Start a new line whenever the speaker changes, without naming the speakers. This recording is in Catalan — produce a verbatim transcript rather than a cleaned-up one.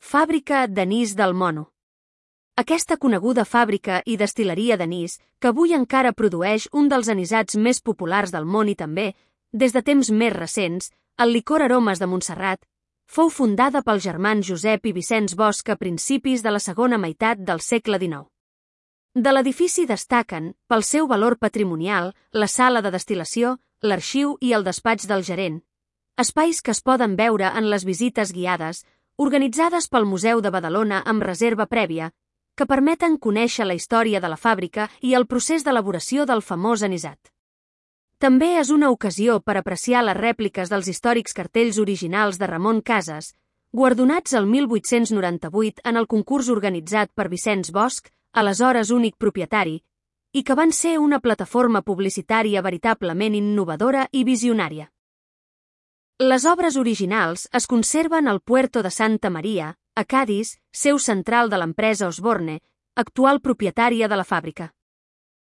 Fàbrica d'anís del Mono. Aquesta coneguda fàbrica i destil·leria d'anís, que avui encara produeix un dels anisats més populars del món i també, des de temps més recents, el licor Aromes de Montserrat, fou fundada pels germans Josep i Vicenç Bosch a principis de la segona meitat del segle dinou. De l'edifici destaquen, pel seu valor patrimonial, la sala de destil·lació, l'arxiu i el despatx del gerent, espais que es poden veure en les visites guiades, organitzades pel Museu de Badalona amb reserva prèvia, que permeten conèixer la història de la fàbrica i el procés d'elaboració del famós anisat. També és una ocasió per apreciar les rèpliques dels històrics cartells originals de Ramon Casas, guardonats el mil vuit-cents noranta-vuit en el concurs organitzat per Vicenç Bosch, aleshores únic propietari, i que van ser una plataforma publicitària veritablement innovadora i visionària. Les obres originals es conserven al Puerto de Santa Maria, a Cadis, seu central de l'empresa Osborne, actual propietària de la fàbrica.